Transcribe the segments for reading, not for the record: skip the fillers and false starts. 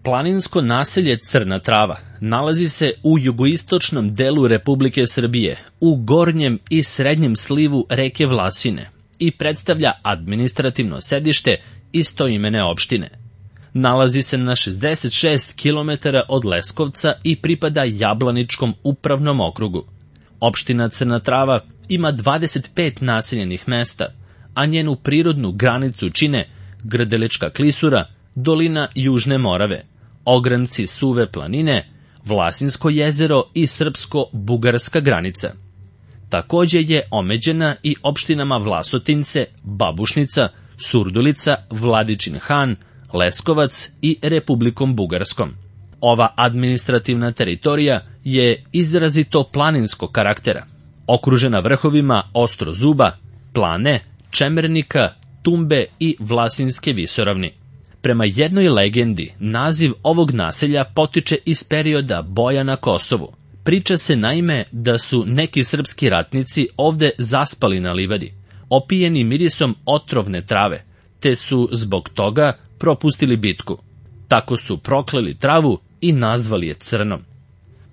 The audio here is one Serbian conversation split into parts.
Planinsko naselje Crna Trava nalazi se u jugoistočnom delu Republike Srbije, u gornjem i srednjem slivu reke Vlasine i predstavlja administrativno sedište istoimene opštine. Nalazi se na 66 km od Leskovca i pripada Jablaničkom upravnom okrugu. Opština Crna Trava ima 25 naseljenih mesta, a njenu prirodnu granicu čine Grdelička klisura, dolina Južne Morave, ogranci Suve planine, Vlasinsko jezero i srpsko-bugarska granica. Takođe je omeđena i opštinama Vlasotince, Babušnica, Surdulica, Vladičin Han, Leskovac i Republikom Bugarskom. Ova administrativna teritorija je izrazito planinskog karaktera, okružena vrhovima Ostrozuba, Plane, Čemernika, Tumbe i Vlasinske visoravni. Prema jednoj legendi, naziv ovog naselja potiče iz perioda boja na Kosovu. Priča se naime da su neki srpski ratnici ovde zaspali na livadi, opijeni mirisom otrovne trave, te su zbog toga propustili bitku. Tako su prokleli travu i nazvali je Crnom.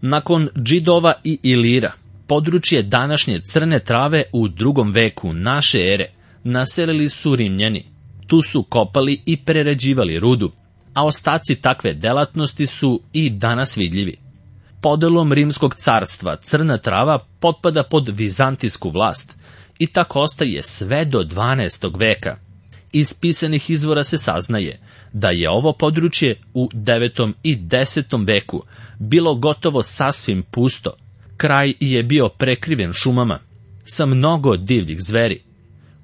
Nakon Džidova i Ilira, područje današnje Crne Trave u 2. veku naše ere naselili su Rimljani. Tu su kopali i prerađivali rudu, a ostaci takve delatnosti su i danas vidljivi. Podelom Rimskog carstva Crna Trava potpada pod vizantijsku vlast i tako ostaje sve do 12. veka. Iz pisanih izvora se saznaje da je ovo područje u 9. i 10. veku bilo gotovo sasvim pusto. Kraj je bio prekriven šumama, sa mnogo divljih zveri.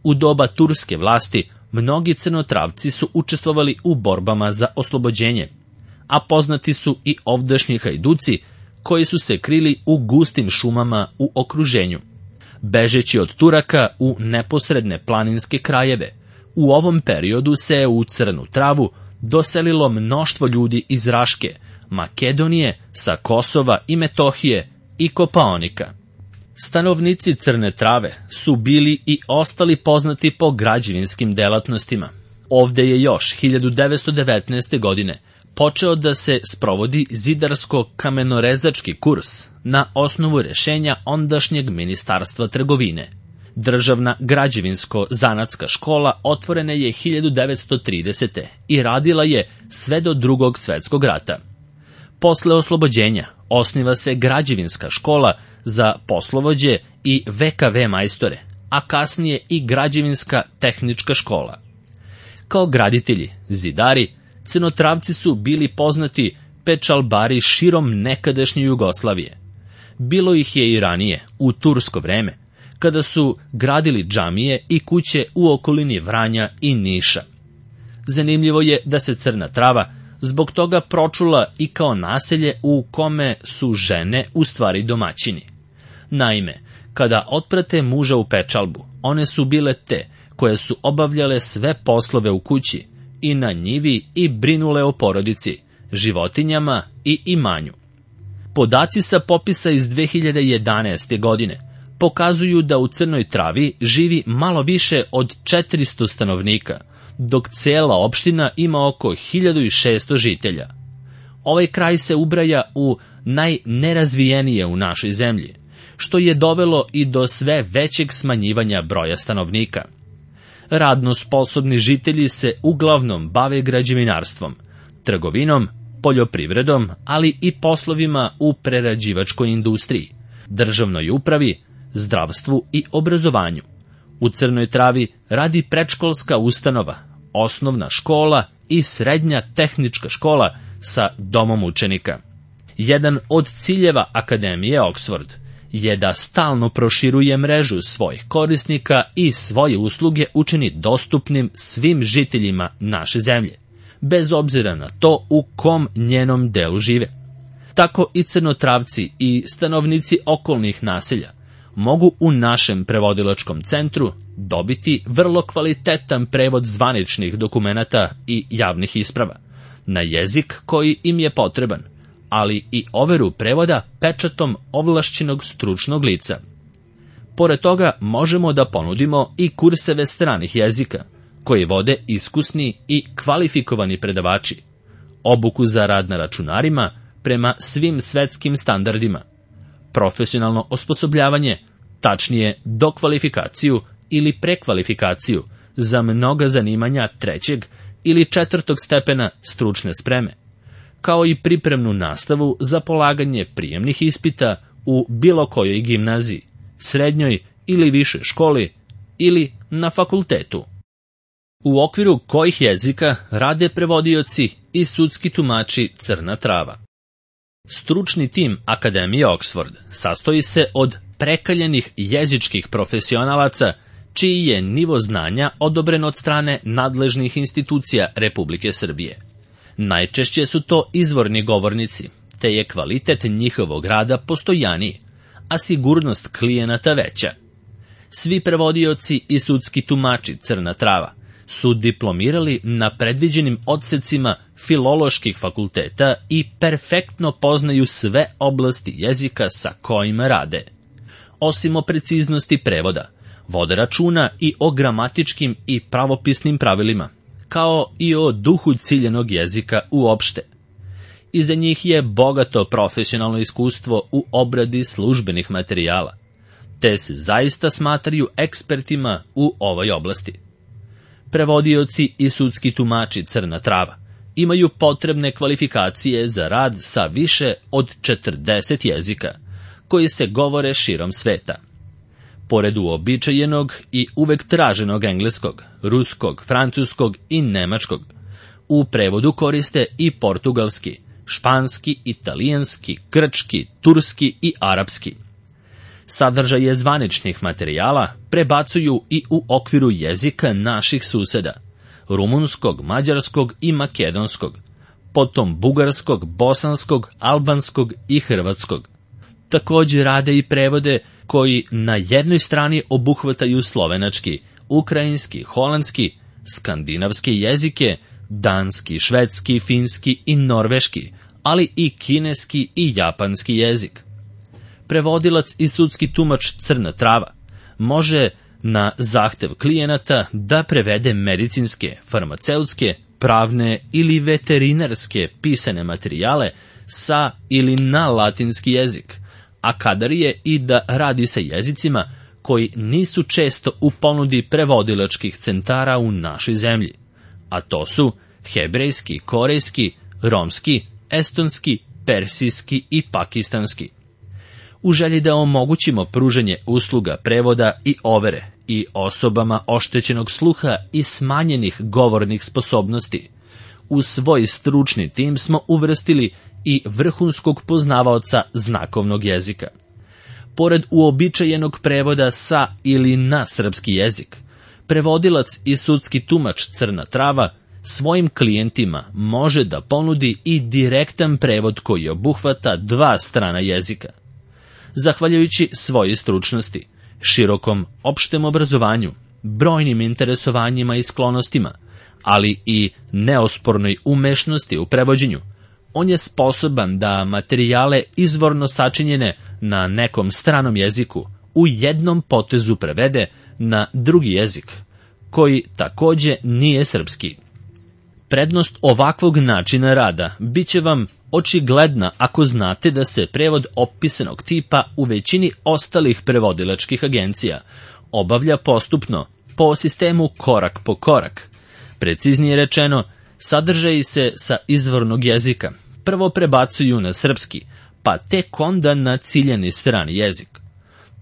U doba turske vlasti mnogi Crnotravci su učestvovali u borbama za oslobođenje, a poznati su i ovdašnji hajduci koji su se krili u gustim šumama u okruženju. Bežeći od Turaka u neposredne planinske krajeve, u ovom periodu se u Crnu Travu doselilo mnoštvo ljudi iz Raške, Makedonije, sa Kosova i Metohije i Kopaonika. Stanovnici Crne Trave su bili i ostali poznati po građevinskim delatnostima. Ovde je još 1919. godine počeo da se sprovodi zidarsko-kamenorezački kurs na osnovu rešenja ondašnjeg ministarstva trgovine. Državna građevinsko-zanatska škola otvorena je 1930. i radila je sve do Drugog svetskog rata. Posle oslobođenja osniva se građevinska škola za poslovođe i VKV majstore, a kasnije i građevinska tehnička škola. Kao graditelji, zidari, Crnotravci su bili poznati pečalbari širom nekadašnje Jugoslavije. Bilo ih je i ranije, u tursko vreme, kada su gradili džamije i kuće u okolini Vranja i Niša. Zanimljivo je da se Crna Trava zbog toga pročula i kao naselje u kome su žene u stvari domaćini. Naime, kada otprate muža u pečalbu, one su bile te koje su obavljale sve poslove u kući i na njivi i brinule o porodici, životinjama i imanju. Podaci sa popisa iz 2011. godine pokazuju da u Crnoj Travi živi malo više od 400 stanovnika, dok cela opština ima oko 1600 žitelja. Ovaj kraj se ubraja u najnerazvijenije u našoj zemlji, što je dovelo i do sve većeg smanjivanja broja stanovnika. Radno sposobni žitelji se uglavnom bave građevinarstvom, trgovinom, poljoprivredom, ali i poslovima u prerađivačkoj industriji, državnoj upravi, zdravstvu i obrazovanju. U Crnoj Travi radi predškolska ustanova, osnovna škola i srednja tehnička škola sa domom učenika. Jedan od ciljeva Akademije Oxford je da stalno proširuje mrežu svojih korisnika i svoje usluge učini dostupnim svim žiteljima naše zemlje, bez obzira na to u kom njenom delu žive. Tako i Crnotravci i stanovnici okolnih naselja mogu u našem prevodilačkom centru dobiti vrlo kvalitetan prevod zvaničnih dokumenata i javnih isprava na jezik koji im je potreban, ali i overu prevoda pečatom ovlašćenog stručnog lica. Pored toga možemo da ponudimo i kurseve stranih jezika, koje vode iskusni i kvalifikovani predavači. obuku za rad na računarima prema svim svetskim standardima, profesionalno osposobljavanje, tačnije dokvalifikaciju ili prekvalifikaciju za mnoga zanimanja 3. ili 4. stepena stručne spreme, kao i pripremnu nastavu za polaganje prijemnih ispita u bilo kojoj gimnaziji, srednjoj ili višoj školi ili na fakultetu. U okviru kojih jezika rade prevodioci i sudski tumači Crna Trava. Stručni tim Akademije Oxford sastoji se od prekaljenih jezičkih profesionalaca čiji je nivo znanja odobren od strane nadležnih institucija Republike Srbije. Najčešće su to izvorni govornici, te je kvalitet njihovog rada postojaniji, a sigurnost klijenata veća. Svi prevodioci i sudski tumači Crna Trava su diplomirali na predviđenim odsecima filoloških fakulteta i perfektno poznaju sve oblasti jezika sa kojima rade. Osim o preciznosti prevoda, vode računa i o gramatičkim i pravopisnim pravilima, kao i o duhu ciljenog jezika uopšte. Iza njih je bogato profesionalno iskustvo u obradi službenih materijala, te se zaista smatraju ekspertima u ovoj oblasti. Prevodioci i sudski tumači Crna Trava imaju potrebne kvalifikacije za rad sa više od 40 jezika, koji se govore širom sveta. Pored uobičajenog i uvek traženog engleskog, ruskog, francuskog i nemačkog, u prevodu koriste i portugalski, španski, italijanski, grčki, turski i arapski. Sadržaje zvaničnih materijala prebacuju i u okviru jezika naših suseda, rumunskog, mađarskog i makedonskog, potom bugarskog, bosanskog, albanskog i hrvatskog. Također rade i prevode koji na jednoj strani obuhvataju slovenački, ukrajinski, holandski, skandinavske jezike, danski, švedski, finski i norveški, ali i kineski i japanski jezik. Prevodilac i sudski tumač Crna Trava može na zahtev klijenata da prevede medicinske, farmaceutske, pravne ili veterinarske pisane materijale sa ili na latinski jezik, a kadar je i da radi sa jezicima koji nisu često u ponudi prevodilačkih centara u našoj zemlji, a to su hebrejski, korejski, romski, estonski, persijski i pakistanski. U želji da omogućimo pružanje usluga prevoda i overe i osobama oštećenog sluha i smanjenih govornih sposobnosti, u svoj stručni tim smo uvrstili i vrhunskog poznavaoca znakovnog jezika. Pored uobičajenog prevoda sa ili na srpski jezik, prevodilac i sudski tumač Crna Trava svojim klijentima može da ponudi i direktan prevod koji obuhvata 2 strana jezika. Zahvaljujući svojoj stručnosti, širokom opštem obrazovanju, brojnim interesovanjima i sklonostima, ali i neospornoj umešnosti u prevođenju, on je sposoban da materijale izvorno sačinjene na nekom stranom jeziku u jednom potezu prevede na drugi jezik, koji takođe nije srpski. Prednost ovakvog načina rada biće vam očigledna ako znate da se prevod opisanog tipa u većini ostalih prevodilačkih agencija obavlja postupno, po sistemu korak po korak. Preciznije rečeno, sadržaji se sa izvornog jezika prvo prebacuju na srpski, pa tek onda na ciljani strani jezik.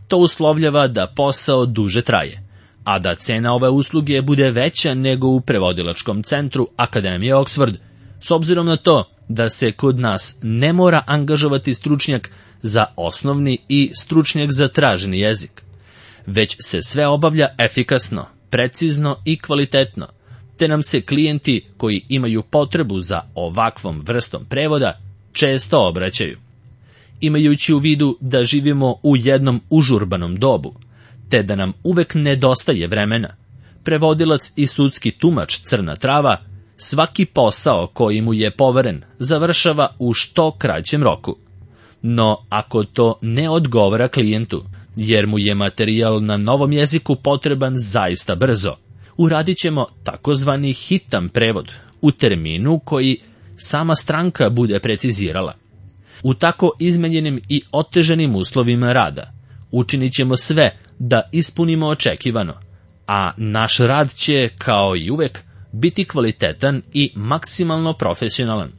To uslovljava da posao duže traje, a da cena ove usluge bude veća nego u prevodilačkom centru Akademije Oxford, s obzirom na to da se kod nas ne mora angažovati stručnjak za osnovni i stručnjak za traženi jezik, već se sve obavlja efikasno, precizno i kvalitetno, te nam se klijenti koji imaju potrebu za ovakvom vrstom prevoda često obraćaju. Imajući u vidu da živimo u jednom užurbanom dobu, te da nam uvek nedostaje vremena, prevodilac i sudski tumač Crna Trava svaki posao koji mu je poveren završava u što kraćem roku. No, ako to ne odgovara klijentu, jer mu je materijal na novom jeziku potreban zaista brzo, uradit ćemo takozvani hitan prevod u terminu koji sama stranka bude precizirala. U tako izmenjenim i otežanim uslovima rada učinit ćemo sve da ispunimo očekivano, a naš rad će, kao i uvek, biti kvalitetan i maksimalno profesionalan.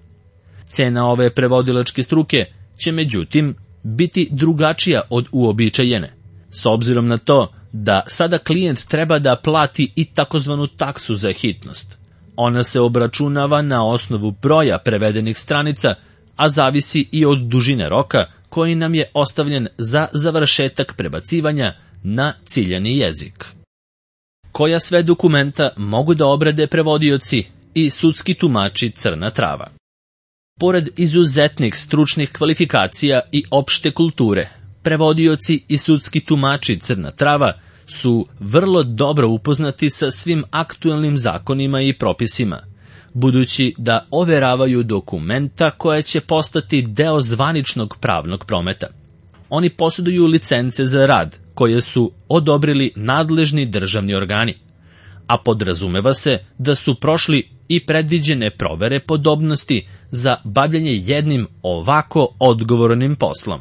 Cena ove prevodilačke struke će, međutim, biti drugačija od uobičajene, s obzirom na to da sada klijent treba da plati i takozvanu taksu za hitnost. Ona se obračunava na osnovu broja prevedenih stranica, a zavisi i od dužine roka koji nam je ostavljen za završetak prebacivanja na ciljani jezik. Koja sve dokumenta mogu da obrade prevodioci i sudski tumači Crna Trava? Pored izuzetnih stručnih kvalifikacija i opšte kulture, prevodioci i sudski tumači Crna Trava su vrlo dobro upoznati sa svim aktuelnim zakonima i propisima, budući da overavaju dokumenta koja će postati deo zvaničnog pravnog prometa. Oni posjeduju licence za rad, koje su odobrili nadležni državni organi, a podrazumeva se da su prošli i predviđene provere podobnosti za bavljanje jednim ovako odgovornim poslom.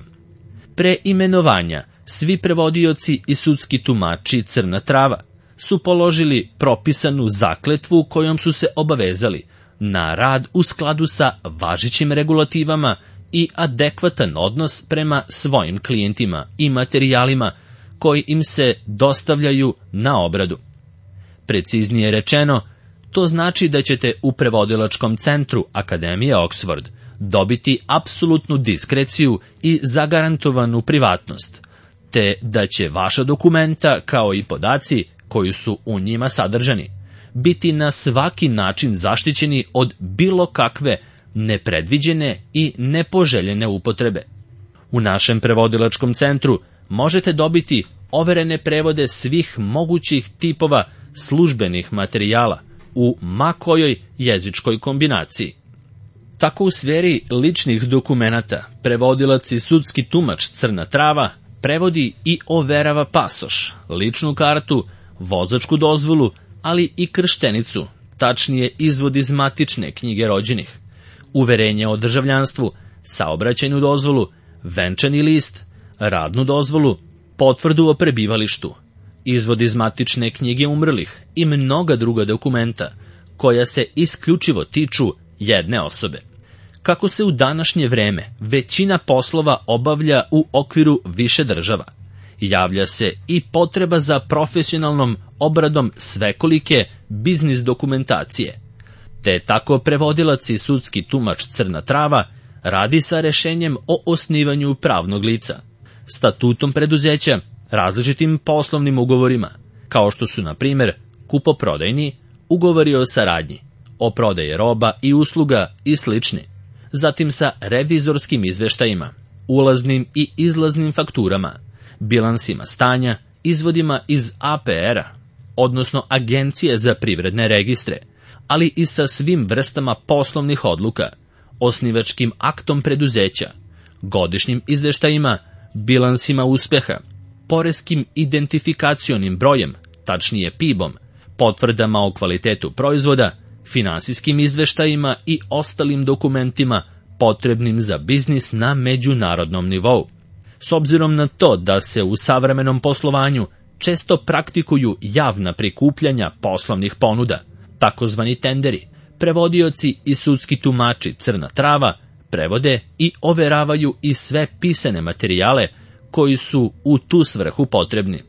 Pre imenovanja, svi prevodioci i sudski tumači Crna Trava su položili propisanu zakletvu kojom su se obavezali na rad u skladu sa važećim regulativama i adekvatan odnos prema svojim klijentima i materijalima koji im se dostavljaju na obradu. Preciznije rečeno, to znači da ćete u prevodilačkom centru Akademije Oxford dobiti apsolutnu diskreciju i zagarantovanu privatnost, te da će vaša dokumenta, kao i podaci koji su u njima sadržani, biti na svaki način zaštićeni od bilo kakve nepredviđene i nepoželjene upotrebe. U našem prevodilačkom centru možete dobiti overene prevode svih mogućih tipova službenih materijala u ma kojoj jezičkoj kombinaciji. Tako u sferi ličnih dokumenata prevodilac i sudski tumač Crna Trava prevodi i overava pasoš, ličnu kartu, vozačku dozvolu, ali i krštenicu, tačnije izvod iz matične knjige rođenih, uverenje o državljanstvu, saobraćajnu dozvolu, venčani list, radnu dozvolu, potvrdu o prebivalištu, izvod iz matične knjige umrlih i mnoga druga dokumenta koja se isključivo tiču jedne osobe. Kako se u današnje vreme većina poslova obavlja u okviru više država, javlja se i potreba za profesionalnom obradom svekolike biznis dokumentacije, te tako prevodilac i sudski tumač Crna Trava radi sa rešenjem o osnivanju pravnog lica, statutom preduzeća, različitim poslovnim ugovorima, kao što su, na primjer, kupoprodajni, ugovori o saradnji, o prodaji roba i usluga i slični, zatim sa revizorskim izveštajima, ulaznim i izlaznim fakturama, bilansima stanja, izvodima iz APR-a, odnosno Agencije za privredne registre, ali i sa svim vrstama poslovnih odluka, osnivačkim aktom preduzeća, godišnjim izveštajima, bilansima uspeha, poreskim identifikacionim brojem, tačnije PIB-om, potvrdama o kvalitetu proizvoda, finansijskim izveštajima i ostalim dokumentima potrebnim za biznis na međunarodnom nivou. S obzirom na to da se u savremenom poslovanju često praktikuju javna prikupljanja poslovnih ponuda, takozvani tenderi, prevodioci i sudski tumači Crna Trava prevode i overavaju i sve pisane materijale koji su u tu svrhu potrebni.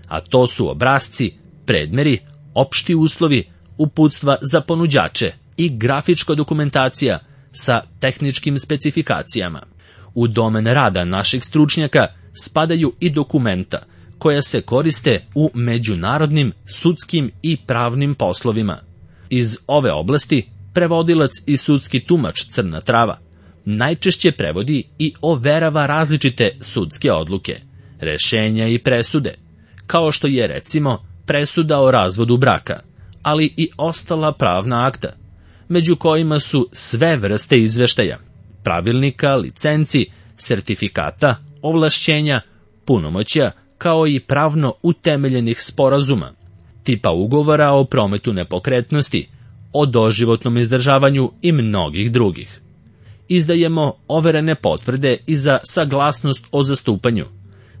A to su obrasci, predmeri, opšti uslovi, uputstva za ponuđače i grafička dokumentacija sa tehničkim specifikacijama. U domen rada naših stručnjaka spadaju i dokumenta koja se koriste u međunarodnim, sudskim i pravnim poslovima. Iz ove oblasti prevodilac i sudski tumač Crna Trava najčešće prevodi i overava različite sudske odluke, rešenja i presude, kao što je recimo presuda o razvodu braka, ali i ostala pravna akta, među kojima su sve vrste izveštaja, pravilnika, licenci, sertifikata, ovlašćenja, punomoćja, kao i pravno utemeljenih sporazuma, tipa ugovora o prometu nepokretnosti, o doživotnom izdržavanju i mnogih drugih. Izdajemo overene potvrde i za saglasnost o zastupanju,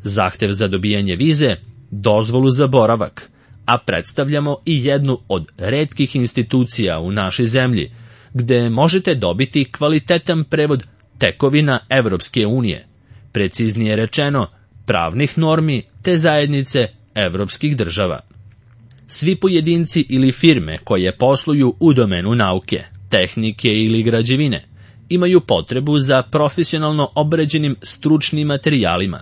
zahtev za dobijanje vize, dozvolu za boravak, a predstavljamo i jednu od retkih institucija u našoj zemlji, gde možete dobiti kvalitetan prevod tekovina Evropske unije, preciznije rečeno, pravnih normi te zajednice evropskih država. Svi pojedinci ili firme koje posluju u domenu nauke, tehnike ili građevine imaju potrebu za profesionalno obrađenim stručnim materijalima,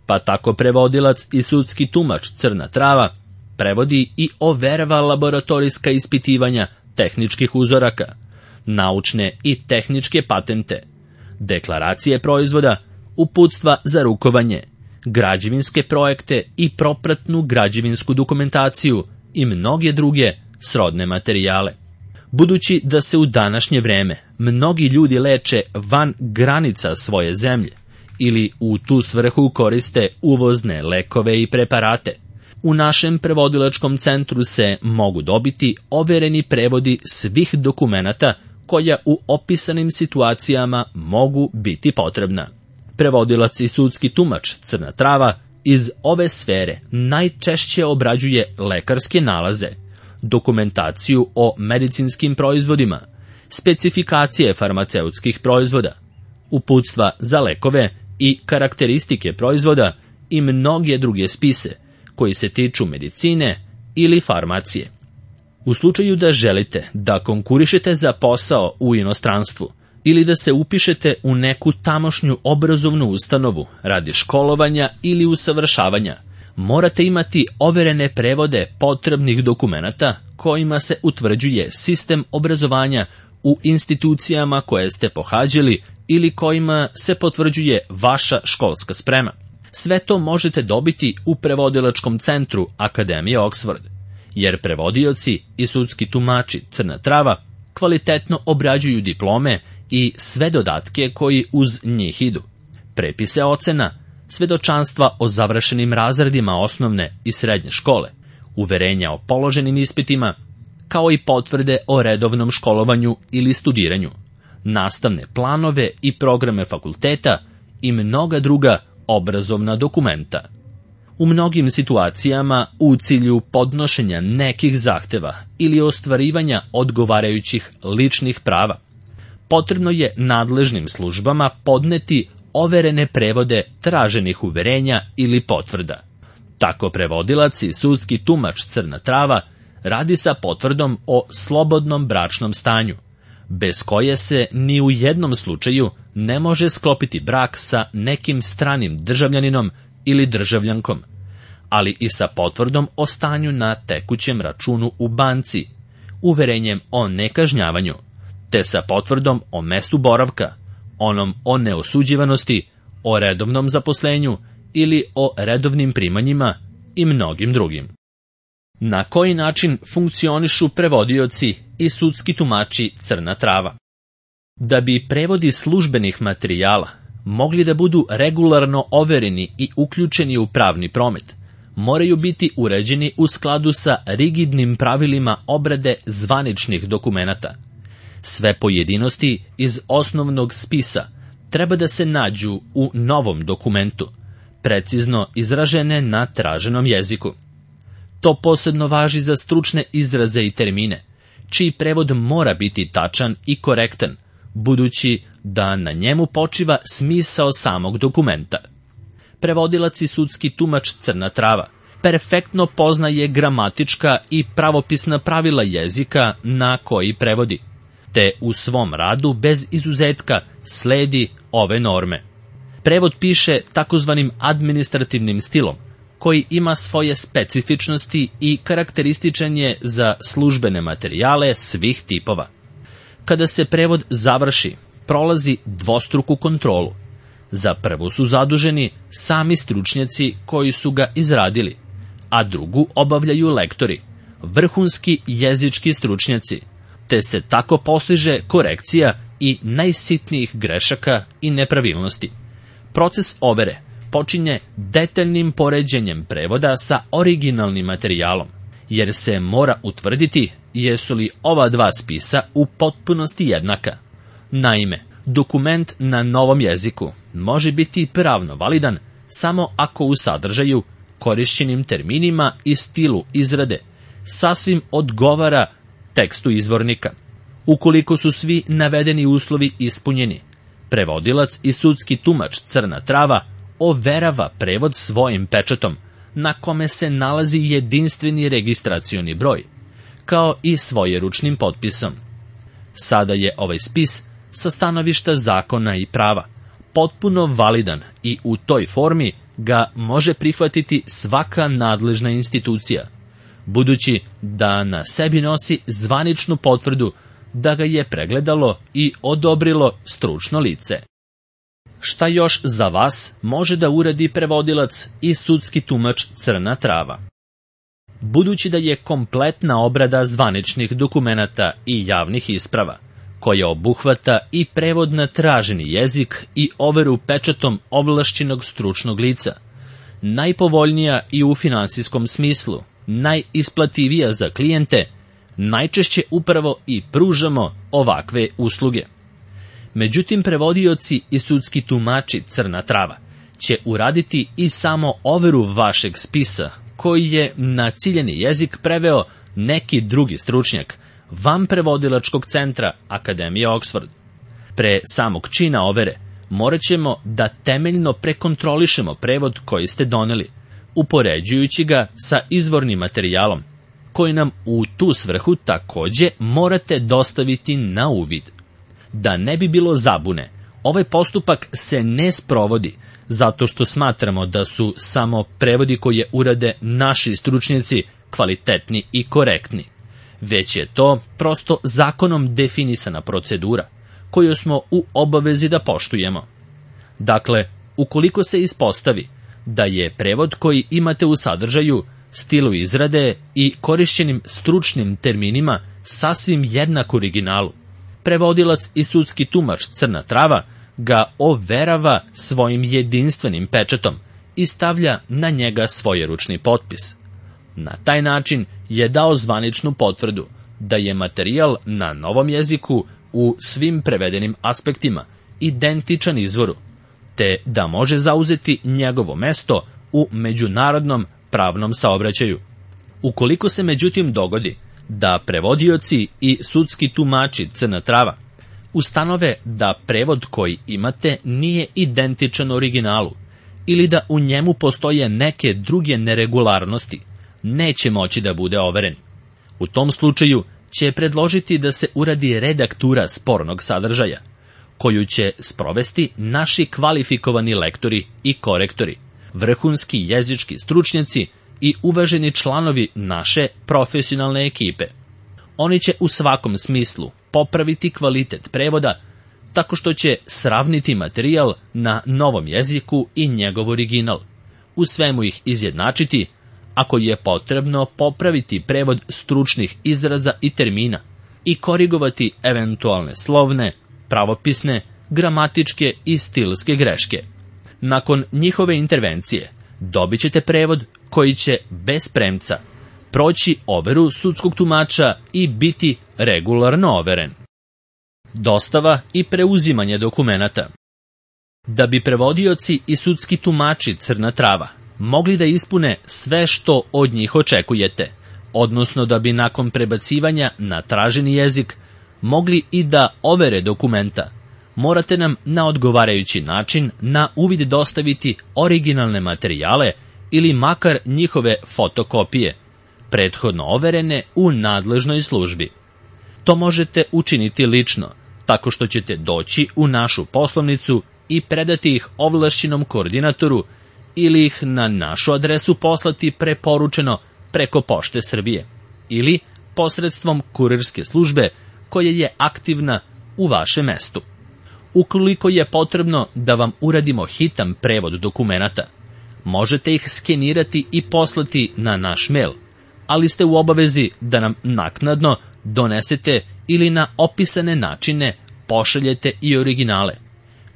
pa tako prevodilac i sudski tumač Crna Trava prevodi i overava laboratorijska ispitivanja tehničkih uzoraka, naučne i tehničke patente, deklaracije proizvoda, uputstva za rukovanje, građevinske projekte i propratnu građevinsku dokumentaciju i mnoge druge srodne materijale. Budući da se u današnje vreme mnogi ljudi leče van granica svoje zemlje ili u tu svrhu koriste uvozne lekove i preparate, u našem prevodilačkom centru se mogu dobiti overeni prevodi svih dokumenata koja u opisanim situacijama mogu biti potrebna. Prevodilac i sudski tumač Crna Trava iz ove sfere najčešće obrađuje lekarske nalaze, dokumentaciju o medicinskim proizvodima, specifikacije farmaceutskih proizvoda, uputstva za lekove i karakteristike proizvoda i mnoge druge spise koji se tiču medicine ili farmacije. U slučaju da želite da konkurišete za posao u inostranstvu ili da se upišete u neku tamošnju obrazovnu ustanovu radi školovanja ili usavršavanja, morate imati overene prevode potrebnih dokumenata kojima se utvrđuje sistem obrazovanja u institucijama koje ste pohađali ili kojima se potvrđuje vaša školska sprema. Sve to možete dobiti u prevodilačkom centru Akademije Oxford, jer prevodioci i sudski tumači Crna Trava kvalitetno obrađuju diplome i sve dodatke koji uz njih idu, prepise ocena, svedočanstva o završenim razredima osnovne i srednje škole, uverenja o položenim ispitima, kao i potvrde o redovnom školovanju ili studiranju, nastavne planove i programe fakulteta i mnoga druga obrazovna dokumenta. U mnogim situacijama u cilju podnošenja nekih zahteva ili ostvarivanja odgovarajućih ličnih prava, potrebno je nadležnim službama podneti overene prevode traženih uverenja ili potvrda. Tako prevodilac i sudski tumač Crna Trava radi sa potvrdom o slobodnom bračnom stanju, bez koje se ni u jednom slučaju ne može sklopiti brak sa nekim stranim državljaninom ili državljankom, ali i sa potvrdom o stanju na tekućem računu u banci, uverenjem o nekažnjavanju, te sa potvrdom o mestu boravka, onom o neosuđivanosti, o redovnom zaposlenju ili o redovnim primanjima i mnogim drugim. Na koji način funkcionišu prevodioci i sudski tumači Crna Trava? Da bi prevodi službenih materijala mogli da budu regularno overeni i uključeni u pravni promet, moraju biti uređeni u skladu sa rigidnim pravilima obrade zvaničnih dokumenata. Sve pojedinosti iz osnovnog spisa treba da se nađu u novom dokumentu, precizno izražene na traženom jeziku. To posebno važi za stručne izraze i termine, čiji prevod mora biti tačan i korektan, budući da na njemu počiva smisao samog dokumenta. Prevodilac i sudski tumač Crna Trava perfektno poznaje gramatička i pravopisna pravila jezika na koji prevodi, te u svom radu bez izuzetka sledi ove norme. Prevod piše takozvanim administrativnim stilom, koji ima svoje specifičnosti i karakterističan je za službene materijale svih tipova. Kada se prevod završi, prolazi dvostruku kontrolu. Za prvu su zaduženi sami stručnjaci koji su ga izradili, a drugu obavljaju lektori, vrhunski jezički stručnjaci, te se tako postiže korekcija i najsitnijih grešaka i nepravilnosti. Proces overe počinje detaljnim poređenjem prevoda sa originalnim materijalom, jer se mora utvrditi jesu li ova dva spisa u potpunosti jednaka. Naime, dokument na novom jeziku može biti pravno validan samo ako u sadržaju, korišćenim terminima i stilu izrade sasvim odgovara tekstu izvornika. Ukoliko su svi navedeni uslovi ispunjeni, prevodilac i sudski tumač Crna Trava overava prevod svojim pečatom, na kome se nalazi jedinstveni registracioni broj, kao i svojeručnim potpisom. Sada je ovaj spis sa stanovišta zakona i prava potpuno validan i u toj formi ga može prihvatiti svaka nadležna institucija, budući da na sebi nosi zvaničnu potvrdu da ga je pregledalo i odobrilo stručno lice. Šta još za vas može da uradi prevodilac i sudski tumač Crna Trava? Budući da je kompletna obrada zvaničnih dokumenata i javnih isprava, koja obuhvata i prevod na traženi jezik i overu pečatom ovlašćenog stručnog lica, najpovoljnija i u finansijskom smislu, najisplativija za klijente, najčešće upravo i pružamo ovakve usluge. Međutim, prevodioci i sudski tumači Crna Trava će uraditi i samo overu vašeg spisa, koji je na ciljeni jezik preveo neki drugi stručnjak, van prevodilačkog centra Akademije Oxford. Pre samog čina overe morat ćemo da temeljno prekontrolišemo prevod koji ste doneli, upoređujući ga sa izvornim materijalom, koji nam u tu svrhu takođe morate dostaviti na uvid. Da ne bi bilo zabune, ovaj postupak se ne sprovodi zato što smatramo da su samo prevodi koje urade naši stručnjaci kvalitetni i korektni, već je to prosto zakonom definisana procedura koju smo u obavezi da poštujemo. Dakle, ukoliko se ispostavi da je prevod koji imate u sadržaju, stilu izrade i korišćenim stručnim terminima sasvim jednak originalu, prevodilac i sudski tumač Crna Trava ga overava svojim jedinstvenim pečatom i stavlja na njega svojeručni potpis. Na taj način je dao zvaničnu potvrdu da je materijal na novom jeziku u svim prevedenim aspektima identičan izvoru, te da može zauzeti njegovo mesto u međunarodnom pravnom saobraćaju. Ukoliko se međutim dogodi da prevodioci i sudski tumači Crna Trava ustanove da prevod koji imate nije identičan originalu ili da u njemu postoje neke druge neregularnosti, neće moći da bude overen. U tom slučaju će predložiti da se uradi redaktura spornog sadržaja, koju će sprovesti naši kvalifikovani lektori i korektori, vrhunski jezički stručnjaci i uvaženi članovi naše profesionalne ekipe. Oni će u svakom smislu popraviti kvalitet prevoda tako što će sravniti materijal na novom jeziku i njegov original, u svemu ih izjednačiti, ako je potrebno popraviti prevod stručnih izraza i termina i korigovati eventualne slovne, pravopisne, gramatičke i stilske greške. Nakon njihove intervencije dobit ćete prevod koji će bez premca proći overu sudskog tumača i biti regularno overen. Dostava i preuzimanje dokumenata. Da bi prevodioci i sudski tumači Crna Trava mogli da ispune sve što od njih očekujete, odnosno da bi nakon prebacivanja na traženi jezik mogli i da overe dokumenta, morate nam na odgovarajući način na uvid dostaviti originalne materijale ili makar njihove fotokopije, prethodno overene u nadležnoj službi. To možete učiniti lično, tako što ćete doći u našu poslovnicu i predati ih ovlašćenom koordinatoru ili ih na našu adresu poslati preporučeno preko Pošte Srbije ili posredstvom kurirske službe koja je aktivna u vašem mestu. Ukoliko je potrebno da vam uradimo hitan prevod dokumenata, možete ih skenirati i poslati na naš mail, ali ste u obavezi da nam naknadno donesete ili na opisane načine pošaljete i originale,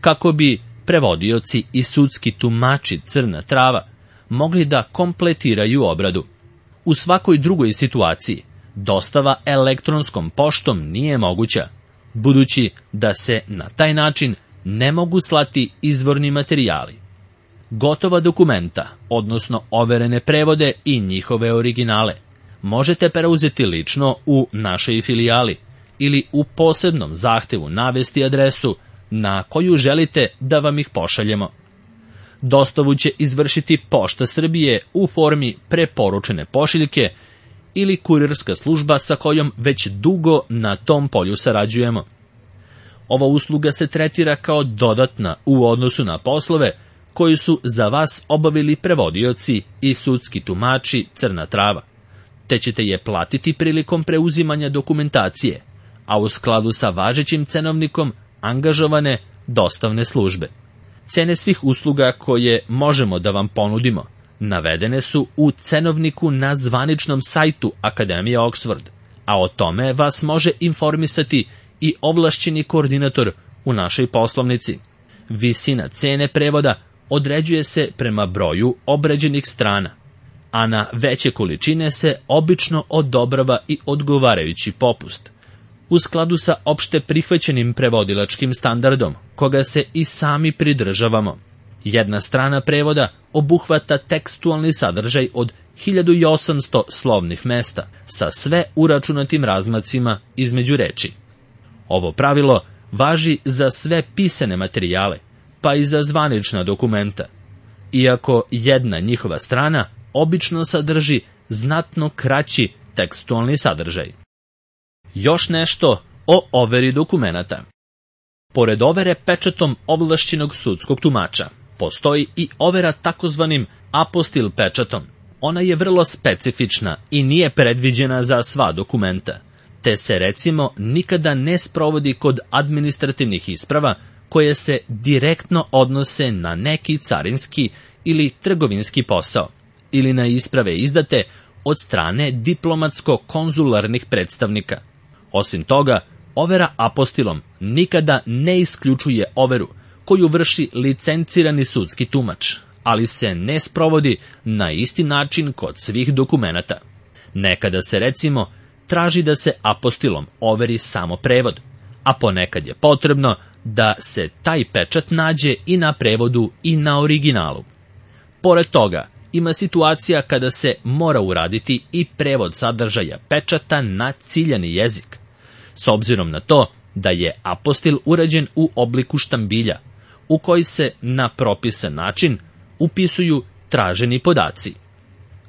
kako bi prevodioci i sudski tumači Crna Trava mogli da kompletiraju obradu. U svakoj drugoj situaciji dostava elektronskom poštom nije moguća, budući da se na taj način ne mogu slati izvorni materijali. Gotova dokumenta, odnosno overene prevode i njihove originale, možete preuzeti lično u našoj filijali ili u posebnom zahtevu navesti adresu na koju želite da vam ih pošaljemo. Dostavu će izvršiti Pošta Srbije u formi preporučene pošiljke ili kurirska služba sa kojom već dugo na tom polju sarađujemo. Ova usluga se tretira kao dodatna u odnosu na poslove koji su za vas obavili prevodioci i sudski tumači Crna Trava, te ćete je platiti prilikom preuzimanja dokumentacije, a u skladu sa važećim cenovnikom angažovane dostavne službe. Cene svih usluga koje možemo da vam ponudimo navedene su u cenovniku na zvaničnom sajtu Akademije Oxford, a o tome vas može informisati i ovlašćeni koordinator u našoj poslovnici. Visina cene prevoda određuje se prema broju obrađenih strana, a na veće količine se obično odobrava i odgovarajući popust, u skladu sa opšte prihvaćenim prevodilačkim standardom, koga se i sami pridržavamo. Jedna strana prevoda obuhvata tekstualni sadržaj od 1800 slovnih mesta sa sve uračunatim razmacima između reči. Ovo pravilo važi za sve pisane materijale, pa i za zvanična dokumenta, iako jedna njihova strana obično sadrži znatno kraći tekstualni sadržaj. Još nešto o overi dokumenata. Pored overe pečatom ovlašćenog sudskog tumača, postoji i overa takozvanim apostil pečatom. Ona je vrlo specifična i nije predviđena za sva dokumenta, te se recimo nikada ne sprovodi kod administrativnih isprava koje se direktno odnose na neki carinski ili trgovinski posao, ili na isprave izdate od strane diplomatsko-konzularnih predstavnika. Osim toga, overa apostilom nikada ne isključuje overu koju vrši licencirani sudski tumač, ali se ne sprovodi na isti način kod svih dokumenata. Nekada se recimo traži da se apostilom overi samo prevod, a ponekad je potrebno da se taj pečat nađe i na prevodu i na originalu. Pored toga, ima situacija kada se mora uraditi i prevod sadržaja pečata na ciljani jezik, s obzirom na to da je apostil urađen u obliku štambilja, u koji se na propisan način upisuju traženi podaci.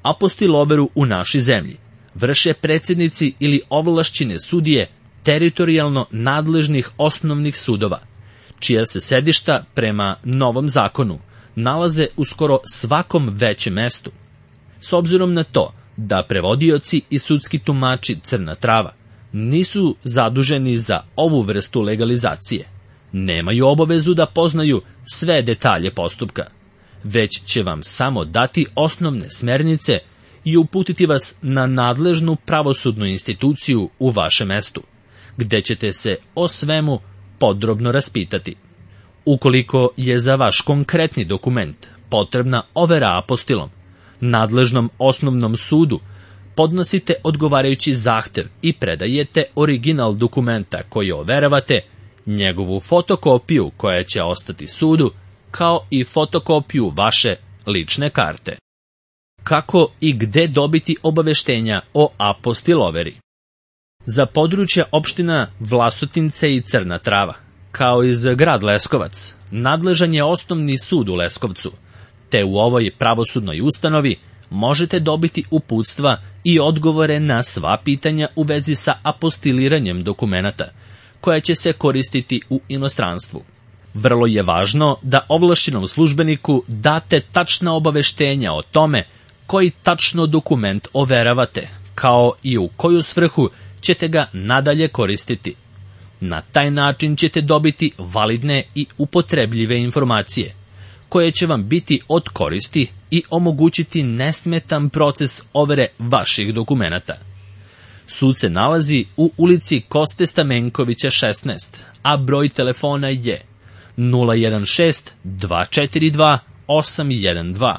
Apostil overu u našoj zemlji vrše predsjednici ili ovlašćene sudije teritorijalno nadležnih osnovnih sudova, čija se sedišta prema novom zakonu nalaze u skoro svakom većem mestu. S obzirom na to da prevodioci i sudski tumači Crna Trava nisu zaduženi za ovu vrstu legalizacije, nemaju obavezu da poznaju sve detalje postupka, već će vam samo dati osnovne smernice i uputiti vas na nadležnu pravosudnu instituciju u vašem mestu, gde ćete se o svemu podrobno raspitati. Ukoliko je za vaš konkretni dokument potrebna overa apostilom, nadležnom osnovnom sudu podnosite odgovarajući zahtev i predajete original dokumenta koji overavate, njegovu fotokopiju koja će ostati sudu, kao i fotokopiju vaše lične karte. Kako i gde dobiti obaveštenja o apostil overi? Za područje opština Vlasotince i Crna Trava, kao i za grad Leskovac, nadležan je osnovni sud u Leskovcu, te u ovoj pravosudnoj ustanovi možete dobiti uputstva i odgovore na sva pitanja u vezi sa apostiliranjem dokumenata, koja će se koristiti u inostranstvu. Vrlo je važno da ovlašćenom službeniku date tačna obaveštenja o tome koji tačno dokument overavate, kao i u koju svrhu ćete ga nadalje koristiti. Na taj način ćete dobiti validne i upotrebljive informacije, koje će vam biti od koristi i omogućiti nesmetan proces overe vaših dokumenata. Sud se nalazi u ulici Koste Stamenkovića 16, a broj telefona je 016 242 812.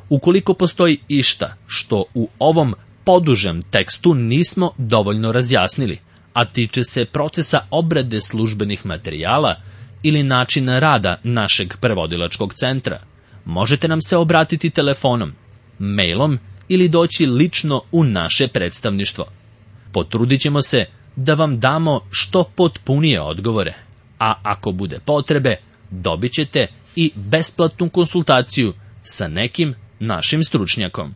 Ukoliko postoji išta što u ovom podužem tekstu nismo dovoljno razjasnili, a tiče se procesa obrade službenih materijala ili načina rada našeg prevodilačkog centra, možete nam se obratiti telefonom, mailom ili doći lično u naše predstavništvo. Potrudit ćemo se da vam damo što potpunije odgovore, a ako bude potrebe, dobit ćete i besplatnu konsultaciju sa nekim našim stručnjakom.